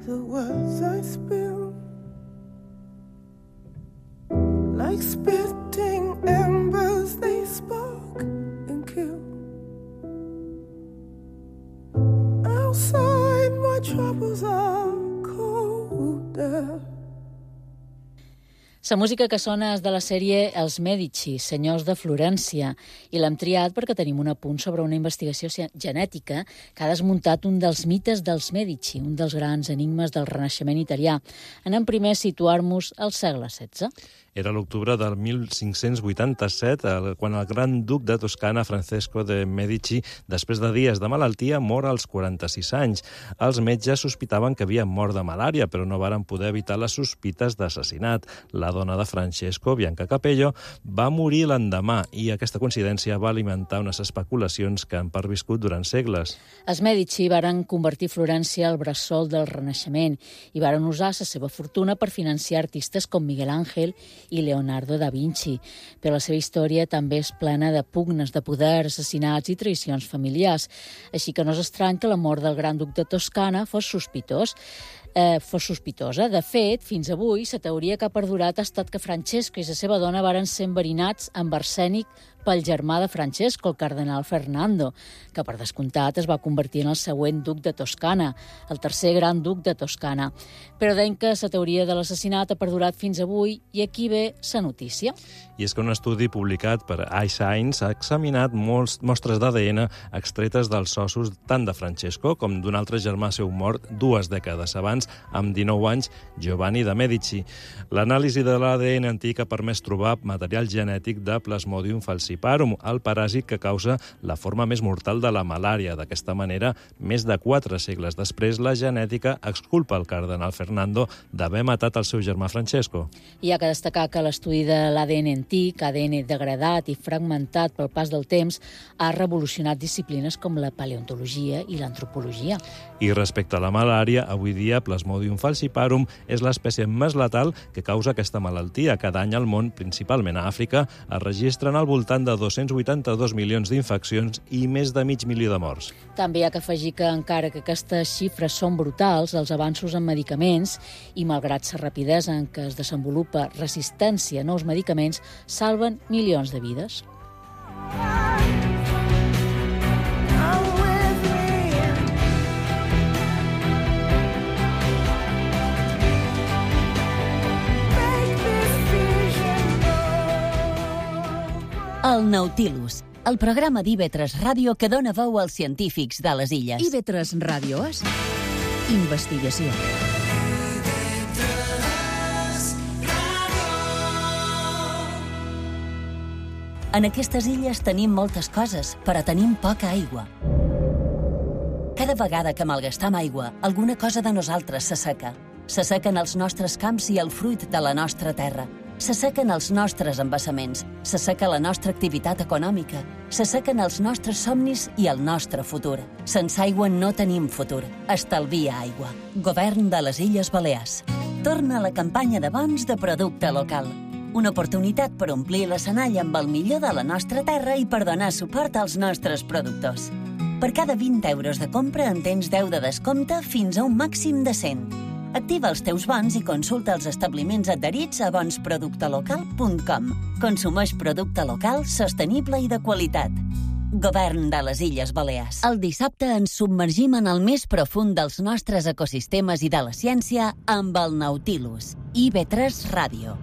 the words I spill, like spitting embers they spark and kill. Outside my troubles are colder. La música que sona és de la sèrie Els Medici, senyors de Florència, i l'hem triat perquè tenim un apunt sobre una investigació genètica que ha desmuntat un dels mites dels Medici, un dels grans enigmes del Renaixement italià. Anem primer a situar-nos al segle XVI. Era l'octubre del 1587, quan el gran duc de Toscana, Francesco de Medici, després de dies de malaltia, mor als 46 anys. Els metges sospitaven que havia mort de malària, però no varen poder evitar les sospites d'assassinat. La dona de Francesco, Bianca Capello, va morir l'endemà i aquesta coincidència va alimentar unes especulacions que han perviscut durant segles. Els Medici varen convertir Florència al bressol del Renaixement i varen usar la seva fortuna per financiar artistes com Miguel Ángel i Leonardo da Vinci. Però la seva història també és plena de pugnes de poder, assassinats i traïcions familiars. Així que no és estrany que la mort del gran duc de Toscana fos sospitosa. De fet, fins avui, la teoria que ha perdurat ha estat que Francesco i la seva dona varen ser enverinats amb arsènic pel germà de Francesco, el cardenal Fernando, que per descomptat es va convertir en el següent duc de Toscana, el tercer gran duc de Toscana. Però deien que la teoria de l'assassinat ha perdurat fins avui i aquí ve la notícia. I és que un estudi publicat per iScience ha examinat mostres d'ADN extretes dels ossos tant de Francesco com d'un altre germà seu mort 2 dècades abans, amb 19 anys, Giovanni de Medici. L'anàlisi de l'ADN antic ha permès trobar material genètic de Plasmodium falciparum, el paràsit que causa la forma més mortal de la malària. D'aquesta manera, més de 4 segles després, la genètica exculpa el cardenal Fernando d'haver matat el seu germà Francesco. Hi ha que destacar que l'estudi de l'ADN antic, ADN degradat i fragmentat pel pas del temps, ha revolucionat disciplines com la paleontologia i l'antropologia. I respecte a la malària, avui dia Plasmodium falciparum és l'espècie més letal que causa aquesta malaltia. Cada any al món, principalment a Àfrica, es registren al voltant de 282 milions d'infeccions i més de 500.000 de morts. També hi ha que afegir que, encara que aquestes xifres són brutals, els avanços en medicaments i, malgrat la rapidesa en què es desenvolupa resistència a nous medicaments, salven milions de vides. El Nautilus, el programa d'IV3 Ràdio que dona veu als científics de les illes. IV3 Ràdio és investigació. En aquestes illes tenim moltes coses, però tenim poca aigua. Cada vegada que malgastam aigua, alguna cosa de nosaltres s'asseca. S'assequen els nostres camps i el fruit de la nostra terra. S'assequen els nostres embassaments, s'asseca la nostra activitat econòmica, s'assequen els nostres somnis i el nostre futur. Sense aigua no tenim futur. Estalvia aigua. Govern de les Illes Balears. Torna a la campanya de bons de producte local. Una oportunitat per omplir l'escenari amb el millor de la nostra terra i per donar suport als nostres productors. Per cada 20 euros de compra en tens 10 de descompte fins a un màxim de 100. Activa els teus bons i consulta els establiments adherits a bonsproductelocal.com. Consumeix producte local, sostenible i de qualitat. Govern de les Illes Balears. El dissabte ens submergim en el més profund dels nostres ecosistemes i de la ciència amb el Nautilus. IV3 Ràdio.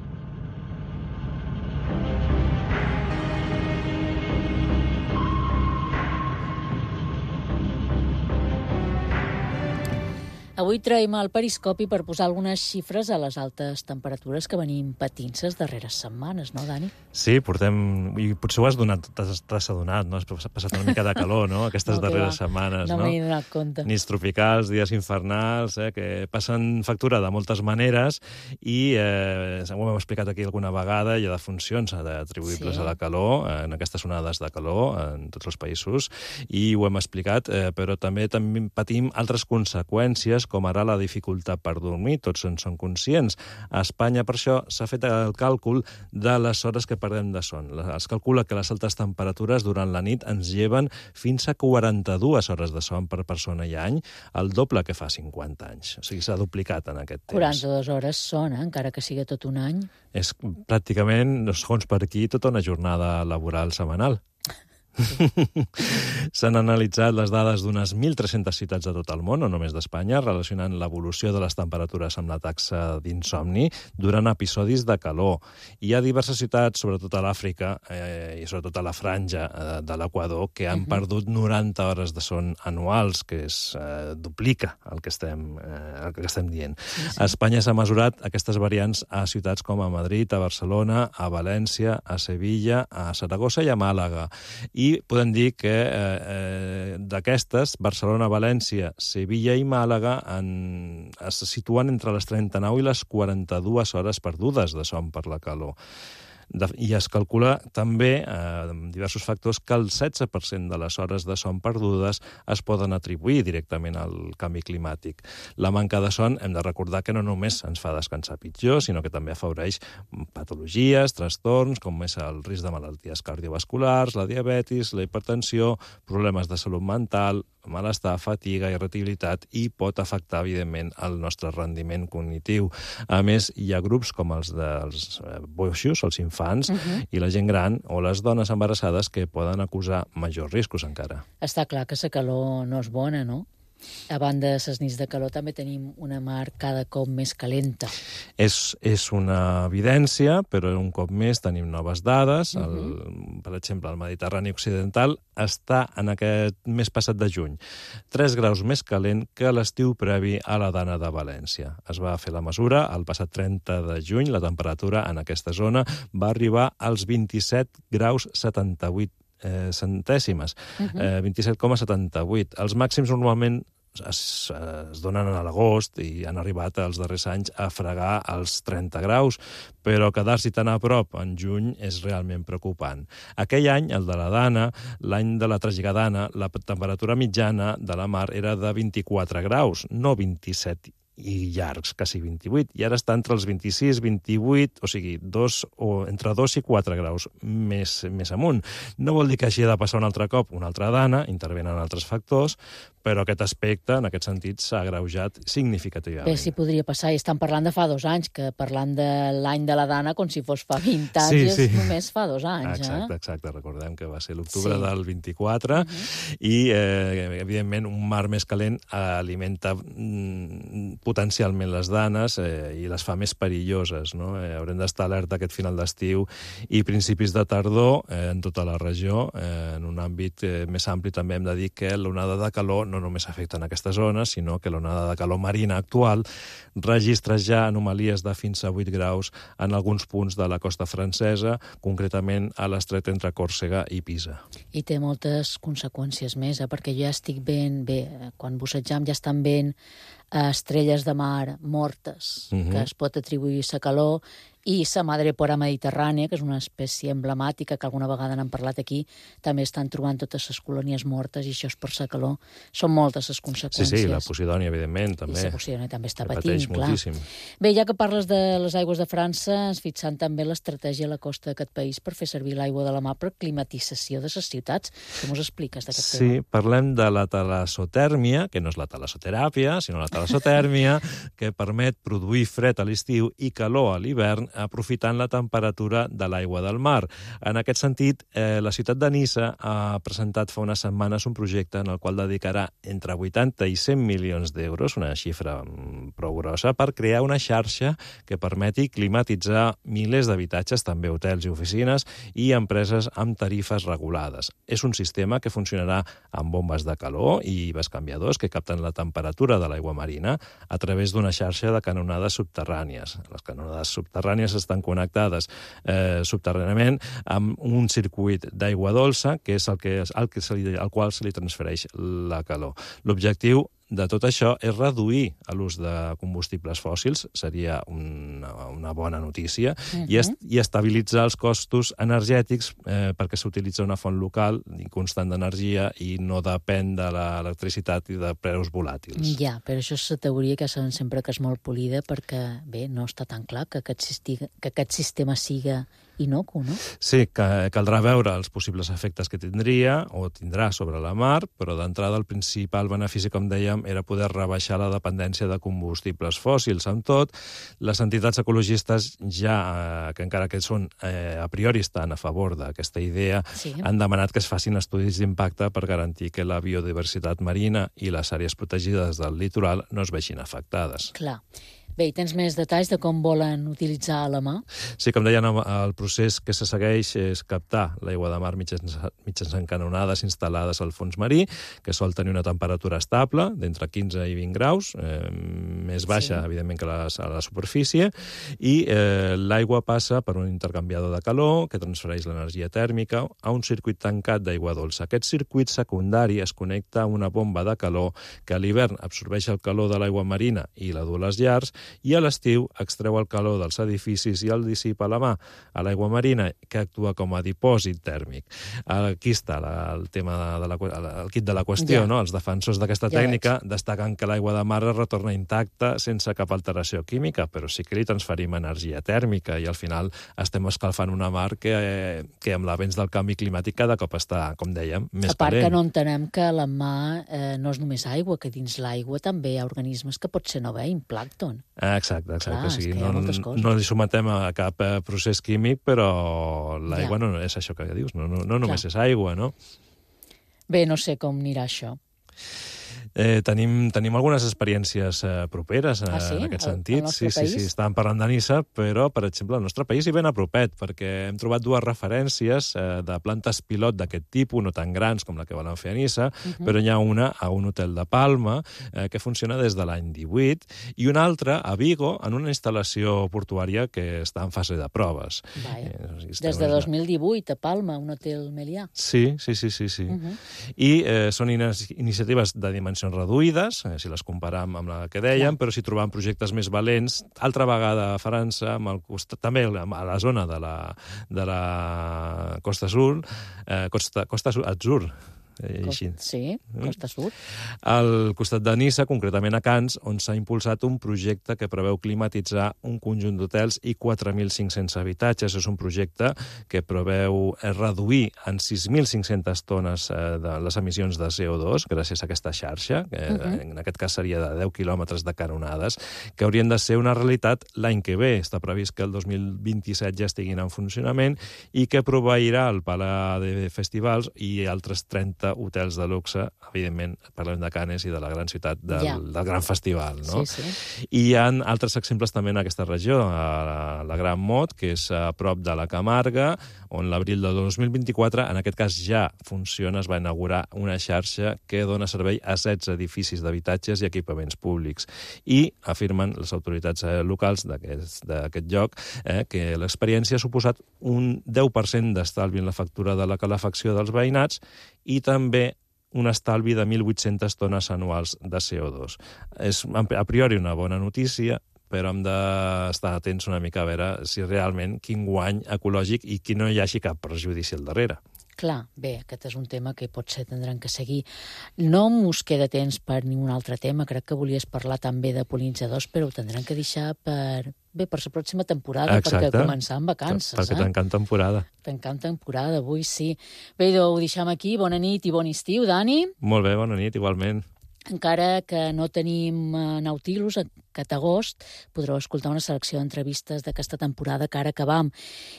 Avui traiem el periscopi per posar algunes xifres a les altes temperatures que venim patint les darreres setmanes, no, Dani? Sí, portem... I potser ho t'has adonat, no? Has passat una mica de calor, no?, aquestes darreres setmanes, no? No m'he donat compte. Nits tropicals, dies infernals, que passen factura de moltes maneres i ho hem explicat aquí alguna vegada, hi ha defuncions atribuïbles a la calor, en aquestes onades de calor en tots els països, i ho hem explicat, però també patim altres conseqüències, com ara la dificultat per dormir, tots en són conscients. A Espanya, per això, s'ha fet el càlcul de les hores que perdem de son. Es calcula que les altes temperatures durant la nit ens lleven fins a 42 hores de son per persona i any, el doble que fa 50 anys. O sigui, s'ha duplicat en aquest temps. 42 hores són, encara que sigui tot un any. És pràcticament, segons per aquí, tota una jornada laboral setmanal. S'han analitzat les dades d'unes 1.300 ciutats de tot el món, no només d'Espanya, relacionant l'evolució de les temperatures amb la taxa d'insomni durant episodis de calor. Hi ha diverses ciutats, sobretot a l'Àfrica i sobretot a la franja de l'Equador, que han perdut 90 hores de son anuals, que es duplica el que estem dient. A Espanya s'ha mesurat aquestes variants a ciutats com a Madrid, a Barcelona, a València, a Sevilla, a Saragossa i a Màlaga. i podem dir que d'aquestes, Barcelona, València, Sevilla i Màlaga es situen entre les 39 i les 42 hores perdudes de son per la calor. I es calcula també, amb diversos factors, que el 16% de les hores de son perdudes es poden atribuir directament al canvi climàtic. La manca de son, hem de recordar que no només ens fa descansar pitjor, sinó que també afavoreix patologies, trastorns, com és el risc de malalties cardiovasculars, la diabetis, la hipertensió, problemes de salut mental, malestar, fatiga, irritabilitat i pot afectar, evidentment, el nostre rendiment cognitiu. A més, hi ha grups com els dels boixos, els infants, i la gent gran o les dones embarassades que poden acusar majors riscos encara. Està clar que la calor no és bona, no? A banda de les nits de calor també tenim una mar cada cop més calenta. És una evidència, però un cop més tenim noves dades. Per exemple, el Mediterrani Occidental està en aquest mes passat de juny 3 graus més calent que l'estiu previ a la Dana de València. Es va fer la mesura el passat 30 de juny. La temperatura en aquesta zona va arribar als 27 graus 78 centèsimes, 27,78. Els màxims normalment es donen a l'agost i han arribat els darrers anys a fregar els 30 graus, però quedar-s'hi tan a prop en juny és realment preocupant. Aquell any, el de la Dana, l'any de la Tragigadana, la temperatura mitjana de la mar era de 24 graus, no 27 i llargs, quasi 28, i ara està entre els 26 i 28, o sigui, entre 2 i 4 graus més amunt. No vol dir que hagi de passar un altre cop una altra Dana, intervenen altres factors, però aquest aspecte, en aquest sentit, s'ha agreujat significativament. Bé, si podria passar, i estan parlant de fa 2 anys, que parlant de l'any de la Dana com si fos fa 20 anys, només fa 2 anys. Exacte, recordem que va ser l'octubre del 24, i, evidentment, un mar més calent alimenta potencialment les danes i les fa més perilloses. Haurem d'estar alerta aquest final d'estiu i principis de tardor en tota la regió. En un àmbit més ampli també hem de dir que l'onada de calor no només afecta en aquesta zona, sinó que l'onada de calor marina actual registra ja anomalies de fins a 8 graus en alguns punts de la costa francesa, concretament a l'estret entre Còrsega i Pisa. I té moltes conseqüències més, perquè jo ja estic veient, quan bussejam ja estan veient estrelles de mar mortes, que es pot atribuir a calor, i la madrepora mediterrània, que és una espècie emblemàtica que alguna vegada n'han parlat aquí, també estan trobant totes les colònies mortes, i això és per la calor. Són moltes les conseqüències. Sí, la Posidònia, evidentment, també. I la Posidònia també està patint, clar. Moltíssim. Bé, ja que parles de les aigües de França, ens fixant també l'estratègia a la costa d'aquest país per fer servir l'aigua de la mar per climatització de les ciutats. Com us expliques d'aquest tema? Sí, parlem de la talassotèrmia, que no és la talassoteràpia, sinó la talassotèrmia, que permet produir fred a l'estiu i calor a l'hivern, aprofitant la temperatura de l'aigua del mar. En aquest sentit, la ciutat de Niça ha presentat fa unes setmanes un projecte en el qual dedicarà entre 80 i 100 milions d'euros, una xifra prou grossa, per crear una xarxa que permeti climatitzar milers d'habitatges, també hotels i oficines, i empreses amb tarifes regulades. És un sistema que funcionarà amb bombes de calor i bescanviadors que capten la temperatura de l'aigua marina a través d'una xarxa de canonades subterrànies. Les canonades subterrànies estan connectades subterràniament amb un circuit d'aigua dolça, que és al qual se li transfereix la calor. L'objectiu de tot això és reduir l'ús de combustibles fòssils, seria una bona notícia, i estabilitzar els costos energètics perquè s'utilitza una font local i constant d'energia i no depèn de l'electricitat i de preus volàtils. Ja, però això és la teoria que saben sempre que és molt polida perquè, bé, no està tan clar que aquest sistema siga inocu, no? Sí, caldrà veure els possibles efectes que tindria o tindrà sobre la mar, però d'entrada el principal benefici, com dèiem, era poder rebaixar la dependència de combustibles fòssils. Amb tot, les entitats ecologistes ja, que encara que són a priori estan a favor d'aquesta idea, han demanat que es facin estudis d'impacte per garantir que la biodiversitat marina i les àrees protegides del litoral no es vegin afectades. Clar. Bé, i tens més detalls de com volen utilitzar la mà? Sí, com deien, el procés que se segueix és captar l'aigua de mar mitjançant canonades instal·lades al fons marí, que sol tenir una temperatura estable d'entre 15 i 20 graus, més baixa, evidentment, que a la superfície, i l'aigua passa per un intercanviador de calor que transfereix l'energia tèrmica a un circuit tancat d'aigua dolça. Aquest circuit secundari es connecta a una bomba de calor que a l'hivern absorbeix el calor de l'aigua marina i la du a les llars, i a l'estiu extreu el calor dels edificis i el dissipa a la mà a l'aigua marina, que actua com a dipòsit tèrmic. Aquí està el tema el kit de la qüestió, no? Els defensors d'aquesta tècnica destaquen que l'aigua de mar es retorna intacta sense cap alteració química, però sí que li transferim energia tèrmica i al final estem escalfant una mar que amb l'avenç del canvi climàtic cada cop està, com dèiem, més calent. A part que no entenem que la mar no és només aigua, que dins l'aigua també hi ha organismes que potser no veiem, plàncton. Exacte. Clar, o sigui, és que hi ha moltes coses. no li sometem a cap procés químic, però l'aigua no és això que dius, no només és aigua, no? Bé, no sé com anirà això. Tenim algunes experiències properes en aquest sentit. Sí, estàvem parlant de Niça, però, per exemple, al nostre país hi ben a propet, perquè hem trobat dues referències de plantes pilot d'aquest tipus, no tan grans com la que volen fer a Niça, però hi ha una a un hotel de Palma que funciona des de l'any 18 i una altra a Vigo en una instal·lació portuària que està en fase de proves. Des de 2018 a Palma, un hotel Melià. Sí. I són iniciatives de dimensions reduïdes, si les comparam amb la que dèiem, però si trobam projectes més valents, altra vegada a França, també a la zona de la Costa Azul, Costa Azur, Sí, Costa Sud. Al costat de Niça, concretament a Cans, on s'ha impulsat un projecte que preveu climatitzar un conjunt d'hotels i 4.500 habitatges. És un projecte que preveu reduir en 6.500 tones de les emissions de CO2 gràcies a aquesta xarxa, que en aquest cas seria de 10 quilòmetres de canonades, que haurien de ser una realitat l'any que ve. Està previst que el 2027 ja estiguin en funcionament i que proveirà el Palau de Festivals i altres 30 hotels de luxe, evidentment parlem de Canes i de la gran ciutat del gran festival, no? Sí. I hi ha altres exemples també en aquesta regió, a la Gran Mot, que és a prop de la Camarga, on l'abril del 2024, en aquest cas ja funciona, es va inaugurar una xarxa que dona servei a 16 edificis d'habitatges i equipaments públics. I afirmen les autoritats locals d'aquest lloc que l'experiència ha suposat un 10% d'estalvi en la factura de la calefacció dels veïnats i també un estalvi de 1.800 tones anuals de CO2. És a priori una bona notícia, però hem d'estar atents una mica a veure si realment quin guany ecològic i que no hi hagi cap perjudici al darrere. Clar, bé, aquest és un tema que potser tindran que seguir. No us queda temps per ni un altre tema, crec que volies parlar també de pol·linitzadors, però ho tindran que deixar per la pròxima temporada, perquè començar amb vacances. Perquè tancant temporada. Tancant temporada, avui sí. Bé, ho deixem aquí, bona nit i bon estiu, Dani. Molt bé, bona nit, igualment. Encara que no tenim Nautilus, aquest agost podreu escoltar una selecció d'entrevistes d'aquesta temporada que ara acabam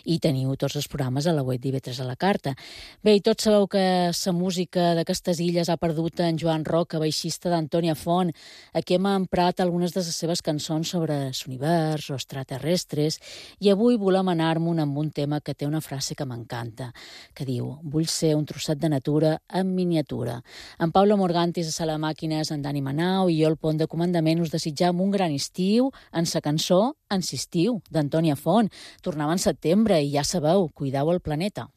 i teniu tots els programes a la web d'IV3 a la carta. Bé, i tots sabeu que la música d'aquestes illes ha perdut en Joan Roca, baixista d'Antònia Font. Aquí hem emprat algunes de les seves cançons sobre l'univers o extraterrestres i avui volem anar-me'n amb un tema que té una frase que m'encanta, que diu: vull ser un trosset de natura en miniatura. En Pablo Morgantis a Sala Màquines, en Dani Manau i jo al Pont de Comandament us desitjam un gran estiu en sa cançó Ensistiu, d'Antònia Font. Tornava en setembre i ja sabeu, cuideu el planeta.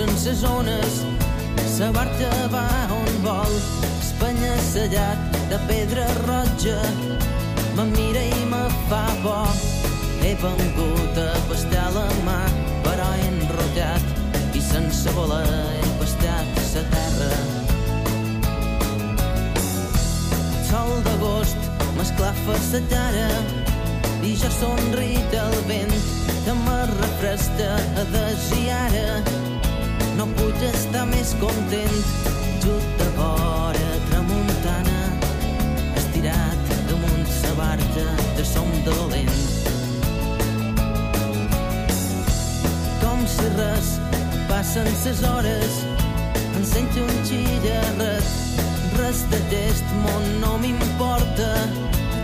Sense zones, sa barca va on vol, espanya-sellat de pedra roja, me mira i me fa por. He vengut a pastar la mà, però he enrotllat i sense voler he pastat sa terra. El sol d'agost m'esclafa sa cara i jo somric al vent que me refresca a desir. No puc estar més content, just de vora tramuntana, estirat damunt sa barca de som dolent. si res, passen ses hores, encenjo un xillarret, res d'aquest món no m'importa,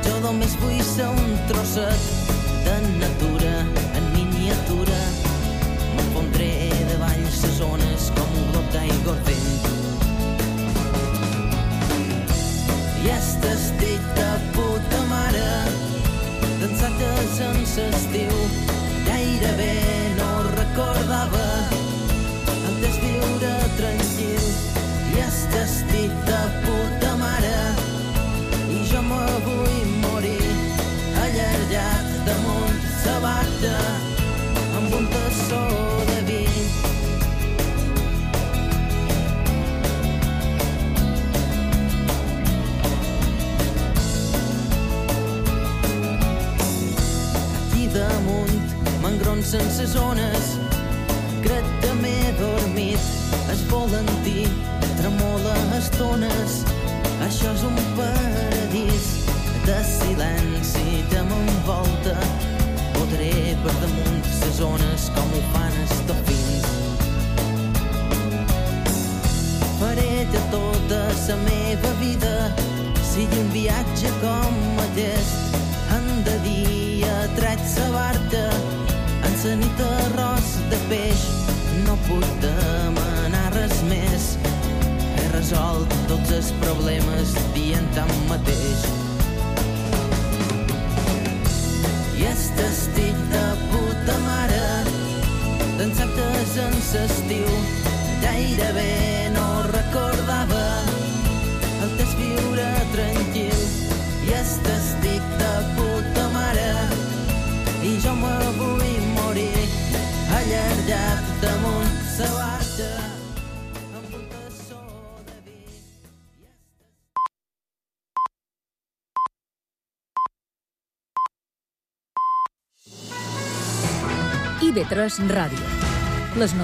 jo només vull ser un trosset de natura en miniatura, m'enfondré davall ses ones com un glob d'aigua al vent. I estic de puta mare, dansates en l'estiu, gairebé no recordava el desviure tranquil. I estic de puta mare, i jo me vull morir allargat damunt sa barca amb un tassó de vi. Damunt m'engronsen ses ones, crec que m'he dormit, es volantí tremola estones, això és un paradís de silenci que m'envolta, podré per damunt ses ones com ho fan els dofins. Faré de tota la meva vida sigui un viatge com aquest, en de dia traig sa barca, en sa nit arròs de peix, no puc demanar res més, he resolt tots els problemes dient tant mateix. I estic de puta mare, dansates en l'estiu, gairebé no recordava el desviure tranquil. I estic de puta mare, i jo me vull morir allargat damunt sa barca amb un tassó de vi. IB3 Ràdio. Les